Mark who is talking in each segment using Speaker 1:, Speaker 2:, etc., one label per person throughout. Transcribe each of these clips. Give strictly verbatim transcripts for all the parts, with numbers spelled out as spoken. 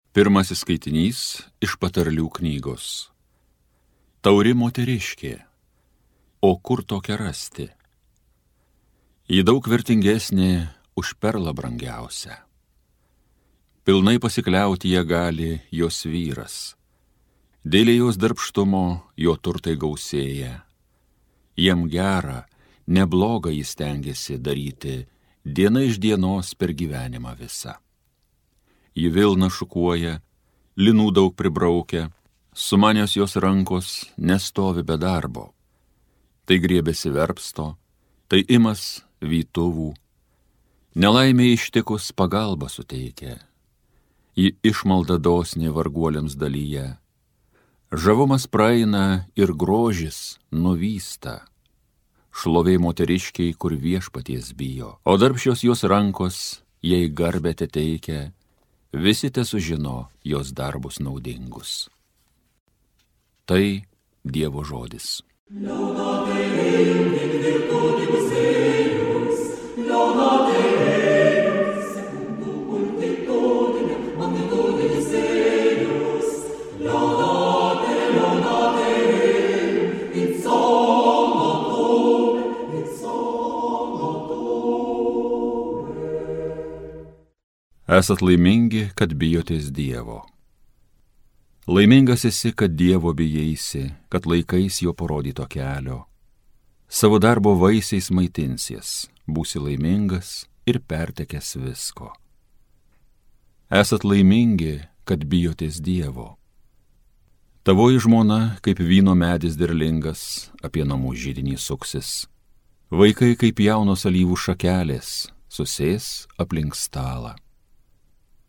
Speaker 1: Pirmasis skaitinys iš Patarlių knygos. Tauri moteriškė, o kur tokia rasti? Ji daug vertingesnė už perlą brangiausią. Pilnai pasikliauti ją gali jos vyras. Dėl jos darbštumo jo turtai gausėja. Jam gera, neblogą jis stengiasi daryti diena iš dienos per gyvenimą visą. Ji vilną šukuoja, linų daug pribraukia, sumanios jos rankos nestovi be darbo. Tai griebėsi verpsto, tai imas vytuvų. Nelaimė ištikus pagalbą suteikia. Ji išmalda dosnė varguoliams dalyje. Žavumas praeina ir grožis nuvysta. Šlovė moteriškiai, kur viešpaties bijo, o darbščios jos rankos jai garbę teteikia. Visi te sužino jos darbus naudingus. Tai Dievo žodis.
Speaker 2: Laudate Deum in virtutibus eius, laudate Deum secundum multitudinem magnitudinis eius, laudate, laudate Deum in psalmatum, in psalmatum.
Speaker 1: Esat laimingi, kad bijotės Dievo. Laimingas esi, kad Dievo bijaisi, kad laikais jo parodyto kelio. Savo darbo vaisiais maitinsies, būsi laimingas ir pertekęs visko. Esat laimingi, kad bijotės Dievo. Tavoji žmona, kaip vyno medis derlingas, apie namų židinį suksis. Vaikai, kaip jaunos alyvų šakelės, susės aplink stalą.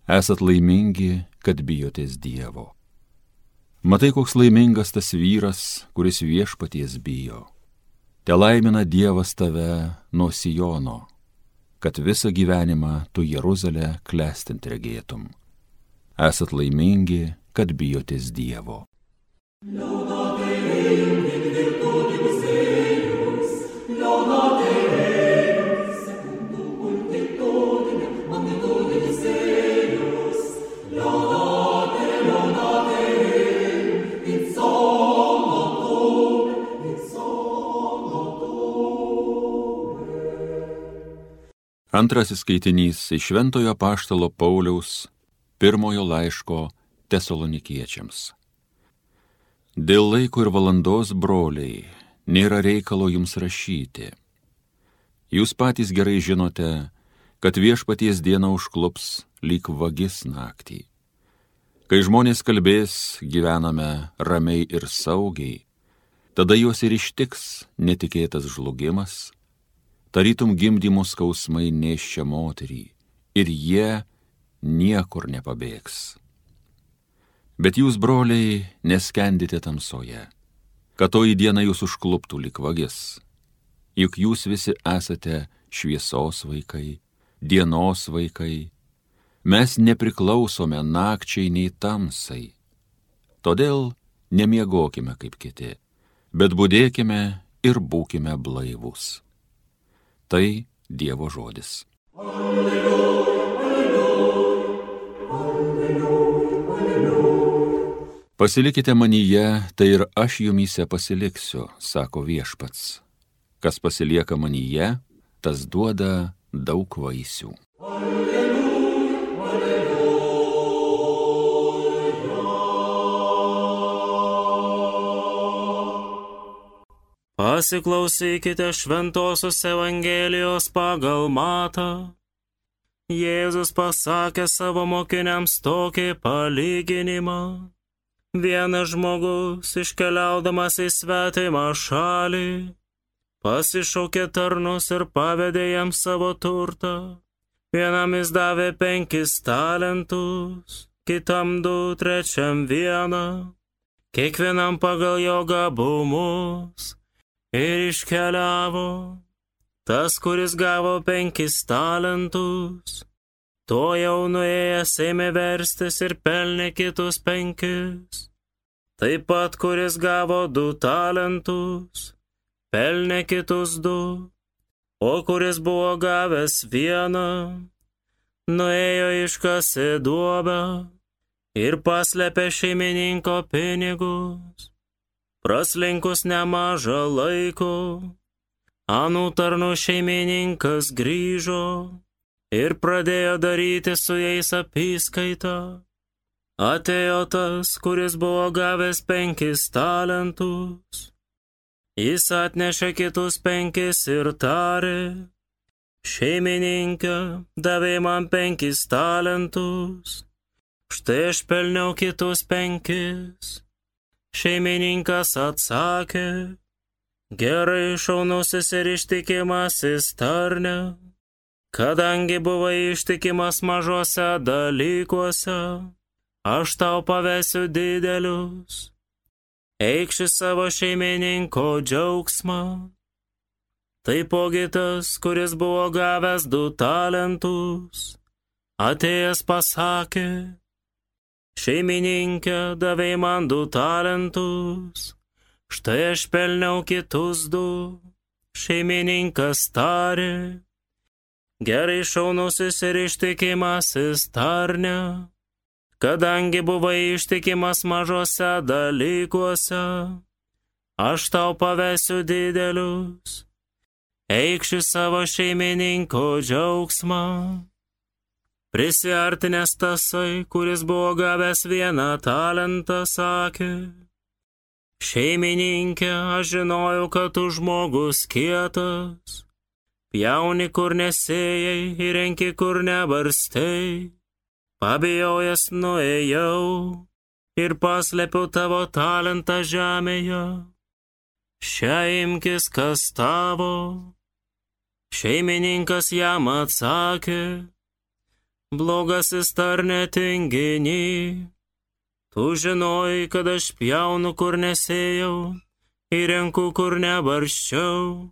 Speaker 1: Esat laimingi, kad bijotės Dievo. Matai, koks laimingas tas vyras, kuris viešpaties bijo. Te laimina Dievas tave nuo Sijono, kad visą gyvenimą tu Jeruzalę klestint regėtum. Esat laimingi, kad bijotės Dievo.
Speaker 2: Laudate Deum in virtutibus eius, laudate Deum secundum multitudinem magnitudinis eius, laudate, laudate Deum in psalmatum, in psalmatum.
Speaker 1: Antrasis skaitinys iš Šventojo apaštalo Pauliaus pirmojo laiško Tesalonikiečiams. Dėl laiko ir valandos, broliai, nėra reikalo jums rašyti. Jūs patys gerai žinote, kad viešpaties diena užklups lyg vagis naktį. Kai žmonės kalbės, gyvename ramiai ir saugiai, tada juos ir ištiks netikėtas žlugimas, tarytum gimdymo skausmai nėščia moterį, ir jie niekur nepabėgs. Bet jūs, broliai, neskendite tamsoje, kad toji diena jūs užkluptų lyg vagis. Juk jūs visi esate šviesos vaikai, dienos vaikai. Mes nepriklausome nakčiai nei tamsai. Todėl nemiegokime kaip kiti, bet budėkime ir būkime blaivūs. Tai Dievo žodis.
Speaker 2: Alleluja, alleluja, alleluja, alleluja.
Speaker 1: Pasilikite manyje, tai ir aš jumyse pasiliksiu, sako viešpats. Kas pasilieka manyje, tas duoda daug vaisių.
Speaker 2: Alleluja, alleluja.
Speaker 3: Pasiklausykite šventosios Evangelijos pagal Matą. Jėzus pasakė savo mokiniams tokį palyginimą. Vienas žmogus, iškeliaudamas į svetimą šalį, pasišaukė tarnus ir pavedė jam savo turtą. Vienam jis davė penkis talentus, kitam du, trečiam vieną, kiekvienam pagal jo gabumus, ir iškeliavo. Tas, kuris gavo penkis talentus, to jau nuėjęs ėmė verstis ir pelnė kitus penkis. Taip pat, kuris gavo du talentus, pelnė kitus du, o kuris buvo gavęs vieną, nuėjo iškasė duobę ir paslėpė šeimininko pinigus. Praslinkus nemažą laiko, anų tarnų šeimininkas grįžo ir pradėjo daryti su jais apyskaitą. Atėjo tas, kuris buvo gavęs penkis talentus. Jis atnešė kitus penkis ir tarė: šeimininkė, davė man penkis talentus, štai aš pelniau kitus penkis. Šeimininkas atsakė: gerai, šaunusis ir ištikimasis tarne, kadangi buvai ištikimas mažose dalykuose, aš tau pavesiu didelius. Eikši savo šeimininko džiaugsmą. Taipogi tas, kuris buvo gavęs du talentus, atėjęs pasakė: šeimininkė, davei man du talentus, štai aš pelniau kitus du. Šeimininkas tarė: gerai, šaunusis ir ištikimasis tarne, kadangi buvai ištikimas mažose dalykuose, aš tau pavesiu didelius. Eikši savo šeimininko džiaugsmą. Prisiartinęs tasai, kuris buvo gavęs vieną talentą, sakė: šeimininkė, aš žinojau, kad tu žmogus kietas, pjauni kur nesėjai ir renki kur nebarstei. Pabijojęs nuėjau ir paslėpiau tavo talentą žemėje. Šią imkis, kas tavo. Šeimininkas jam atsakė: blogasis tarne tinginy, tu žinojai, kad aš pjaunu kur nesėjau ir renku kur nebarščiau.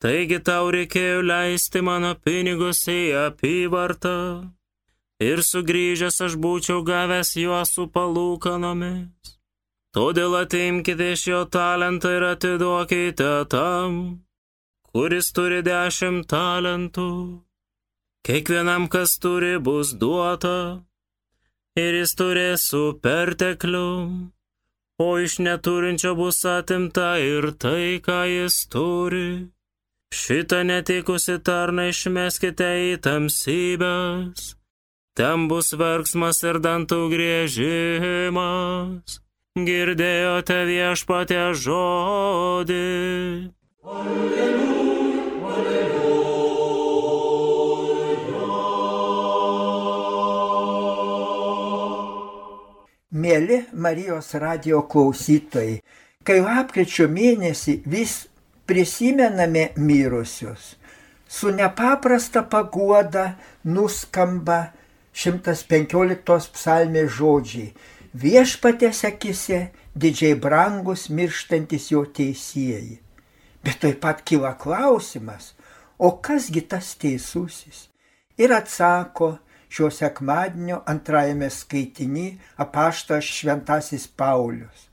Speaker 3: Taigi tau reikėjo leisti mano pinigus į apyvartą ir sugrįžęs aš būčiau gavęs juos su palūkanomis. Todėl atimkite iš jo talentą ir atiduokite tam, kuris turi dešimt talentų. Kiekvienam, kas turi, bus duota, ir jis turės su pertekliu, o iš neturinčio bus atimta ir tai, ką jis turi. Šitą netikusi tarną išmeskite į tamsybes, ten bus verksmas ir dantų griežimas. Girdėjote viešpatie žodį.
Speaker 2: Alleluja, alleluja.
Speaker 4: Mieli Marijos radijo klausytojai, kai lapkričio mėnesį vis prisimename mirusius, su nepaprasta paguoda nuskamba šimtas penkioliktos psalmės žodžiai: viešpaties akise didžiai brangus mirštantis jo teisieji. Bet taip pat kyla klausimas, o kasgi tas teisusis? Ir atsako šio sekmadienio antrajame skaitiny apaštalas šventasis Paulius.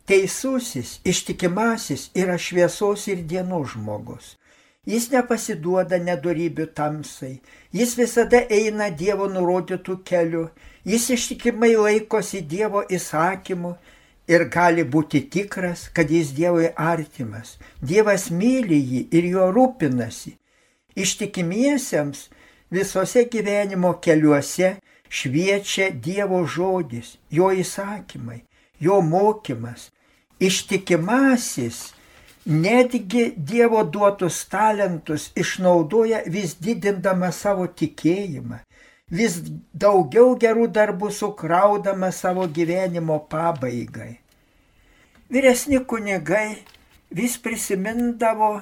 Speaker 4: Teisusis, ištikimasis yra šviesos ir dienos žmogus. Jis nepasiduoda nedorybių tamsai, jis visada eina Dievo nurodytų keliu, jis ištikimai laikosi Dievo įsakymų ir gali būti tikras, kad jis Dievui artimas. Dievas myli jį ir jo rūpinasi. Ištikimiesiems visose gyvenimo keliuose šviečia Dievo žodis, jo įsakymai, jo mokymas. Ištikimasis netgi Dievo duotus talentus išnaudoja vis didindama savo tikėjimą, vis daugiau gerų darbų sukraudama savo gyvenimo pabaigai. Vyresni kunigai vis prisimindavo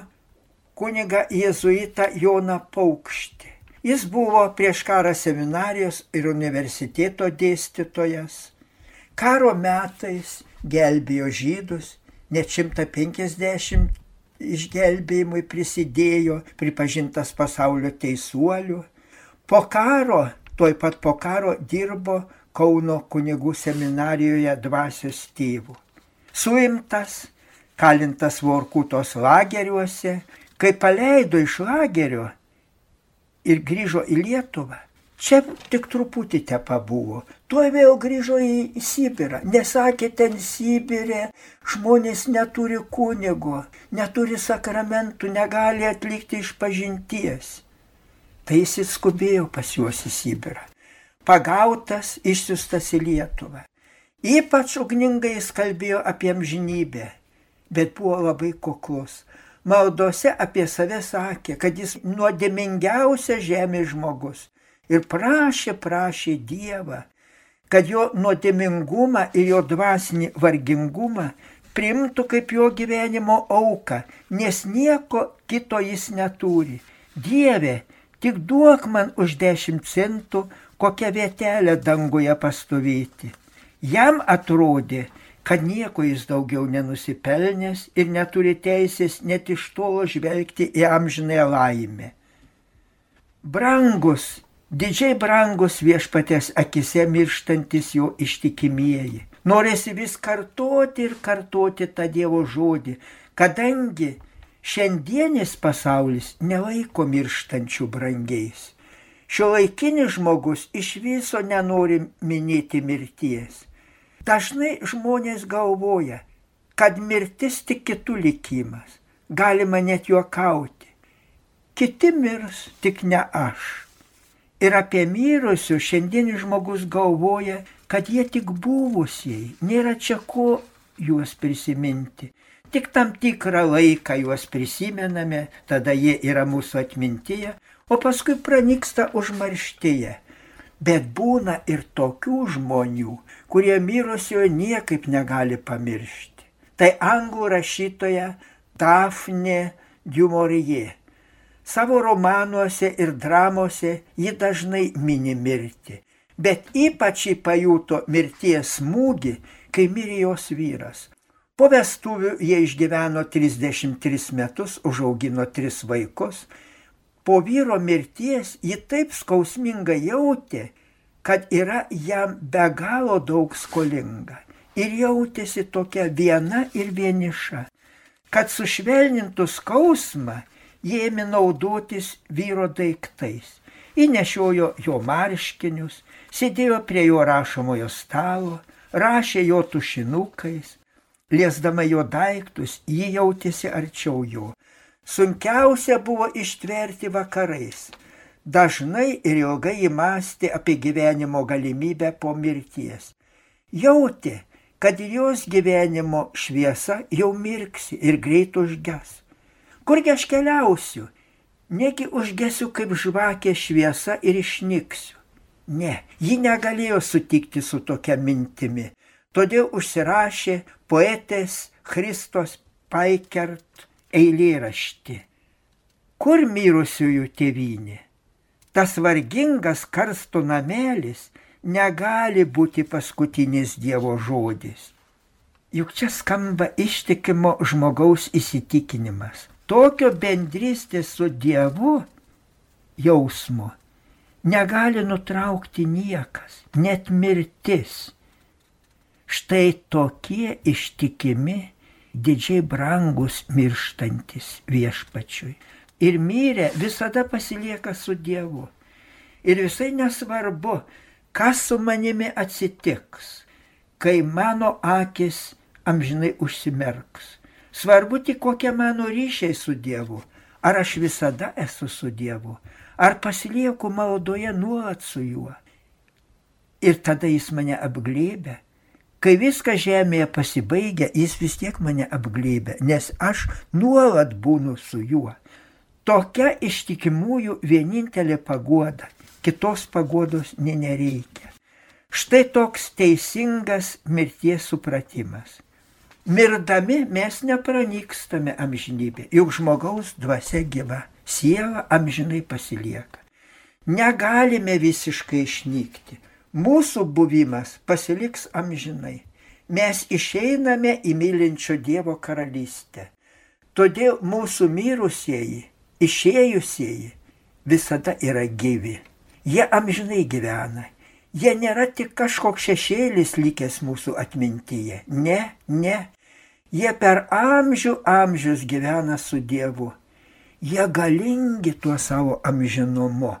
Speaker 4: kunigą jėzuitą Joną Paukštį. Jis buvo prieš karą seminarijos ir universiteto dėstytojas. Karo metais gelbėjo žydus, net šimtą penkiasdešimt išgelbėjimui prisidėjo, pripažintas pasaulio teisuoliu. Po karo, tuoj pat po karo dirbo Kauno kunigų seminarijoje dvasios tėvu. Suimtas, kalintas Vorkutos lageriuose, kai paleido iš lagerio ir grįžo į Lietuvą, Čia tik truputį te pabuvo. Tuo vėl grįžo į Sibirą. Nesakė, ten Sibirė žmonės neturi kunigo, neturi sakramentų, negali atlikti išpažinties. Tai jis skubėjo pas juos į Sibirą. Pagautas, išsiustas į Lietuvą. Ypač ugningai jis kalbėjo apie amžinybę, bet buvo labai kuklus. Maldose apie save sakė, kad jis nuodėmingiausias žemės žmogus. Ir prašė, prašė Dievą, kad jo nuodėmingumą ir jo dvasinį vargingumą priimtų kaip jo gyvenimo auką, nes nieko kito jis neturi. Dieve, tik duok man už dešimt centų kokią vietelę danguje pastovėti. Jam atrodė, kad nieko jis daugiau nenusipelnęs ir neturi teisės net iš tolo žvelgti į amžinąją laimę. Brangus, didžiai brangus viešpaties akise mirštantis jo ištikimieji. Norisi vis kartoti ir kartoti tą Dievo žodį, kadangi šiandienis pasaulis nelaiko mirštančių brangiais. Šiuolaikinis žmogus iš viso nenori minėti mirties. Dažnai žmonės galvoja, kad mirtis tik kitų likimas. Galima net juokauti. Kiti mirs, tik ne aš. Ir apie mirusius šiandienis žmogus galvoja, kad jie tik buvusieji, nėra čia ko juos prisiminti. Tik tam tikrą laiką juos prisimename, tada jie yra mūsų atmintyje, o paskui pranyksta užmarštyje. Bet būna ir tokių žmonių, kurie mirusiojo niekaip negali pamiršti. Tai anglų rašytoja Dafne du Maurier. Savo romanuose ir dramose ji dažnai mini mirtį, bet ypač ji pajuto mirties smūgį, kai mirė jos vyras. Po vestuvių jie išgyveno trisdešimt tris metus, užaugino tris vaikus. Po vyro mirties ji taip skausmingai jautė, kad yra jam be galo daug skolinga. Ir jautėsi tokia viena ir vieniša. Kad sušvelnintų skausmą, jie ėmė naudotis vyro daiktais. Įnešiojo jo marškinius, sėdėjo prie jo rašomojo stalo, rašė jo tušinukais. Liesdama jo daiktus, ji jautėsi arčiau jo. Sunkiausia buvo ištverti vakarais. Dažnai ir ilgai įmąstė apie gyvenimo galimybę po mirties. Jautė, kad jos gyvenimo šviesa jau mirksi ir greit užges. Kurgi aš keliausiu? Negi užgesiu kaip žvakė šviesa ir išnyksiu. Ne, ji negalėjo sutikti su tokia mintimi. Todėl užsirašė poetės Christos Paikert eilėraštį. Kur mirusiųjų tėvynė? Tas vargingas karsto namelis negali būti paskutinis Dievo žodis. Juk čia skamba ištikimo žmogaus įsitikinimas. Tokio bendrystės su Dievu jausmo negali nutraukti niekas, net mirtis. Štai tokie ištikimi, didžiai brangus mirštantis viešpačiui. Ir mirę visada pasilieka su Dievu. Ir visai nesvarbu, kas su manimi atsitiks, kai mano akis amžinai užsimerks. Svarbu tik kokie mano ryšiai su Dievu. Ar aš visada esu su Dievu, ar pasilieku maldoje nuolat su juo. Ir tada jis mane apglėbia. Kai viskas žemėje pasibaigia, jis vis tiek mane apglėbia, nes aš nuolat būnu su juo. Tokia ištikimųjų vienintelė paguoda, kitos paguodos nė nereikia. Štai toks teisingas mirties supratimas. Mirdami mes nepranykstame amžinybę, juk žmogaus dvasia gyva, siela amžinai pasilieka. Negalime visiškai išnykti. Mūsų buvimas pasiliks amžinai. Mes išeiname į mylinčio Dievo karalystę. Todėl mūsų mirusieji, išėjusieji visada yra gyvi. Jie amžinai gyvena. Jie nėra tik kažkoks šešėlis likęs mūsų atmintyje. Ne, ne. Jie per amžių amžius gyvena su Dievu. Jie galingi tuo savo amžinumu.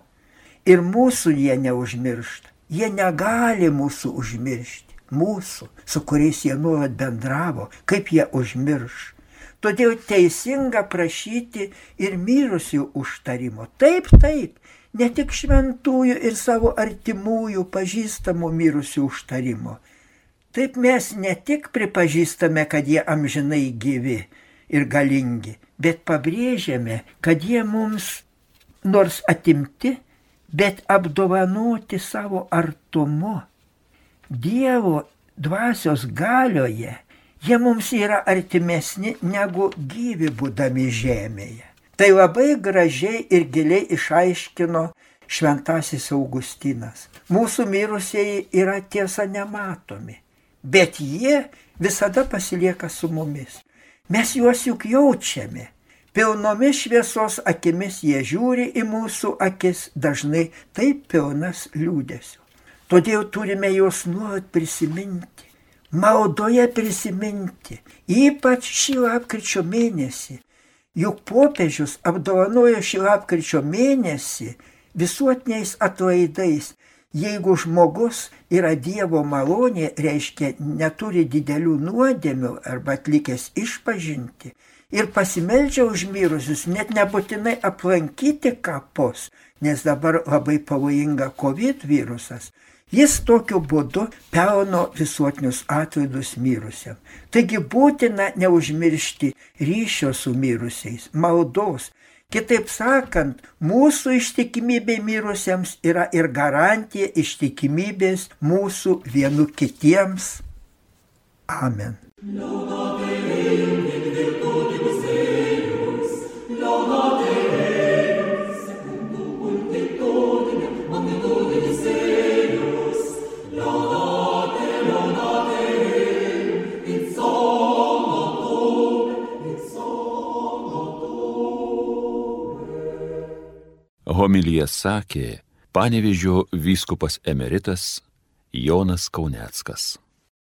Speaker 4: Ir mūsų jie neužmiršta. Jie negali mūsų užmiršti. Mūsų, su kuriais jie nuolat bendravo, kaip jie užmirš. Todėl teisinga prašyti ir mirusių užtarimo. Taip, taip, ne tik šventųjų ir savo artimųjų pažįstamų mirusių užtarimo. Taip mes ne tik pripažįstame, kad jie amžinai gyvi ir galingi, bet pabrėžiame, kad jie mums nors atimti, bet apdovanoti savo artumu. Dievo dvasios galioje jie mums yra artimesni negu gyvi būdami žemėje. Tai labai gražiai ir giliai išaiškino šventasis Augustinas. Mūsų mirusieji yra tiesa nematomi, bet jie visada pasilieka su mumis. Mes juos juk jaučiame. Pilnomis šviesos akimis jie žiūri į mūsų akis, dažnai taip pilnas liūdesio. Todėl turime juos nuolat prisiminti, maldoje prisiminti, ypač šį lapkričio mėnesį. Juk popiežius apdovanojo šį lapkričio mėnesį visuotiniais atlaidais. Jeigu žmogus yra Dievo malonė, reiškia neturi didelių nuodėmių arba atlikęs išpažinti, ir pasimeldžia už mirusius, net nebūtinai aplankyti kapus, nes dabar labai pavojinga COVID virusas, jis tokiu būdu pelno visuotinius atlaidus mirusiam. Taigi būtina neužmiršti ryšio su mirusiais, maldos. Kitaip sakant, mūsų ištikimybė mirusiems yra ir garantija ištikimybės mūsų vienu kitiems. Amen.
Speaker 1: Homiliją sakė Panevėžio vyskupas emeritas Jonas Kauneckas.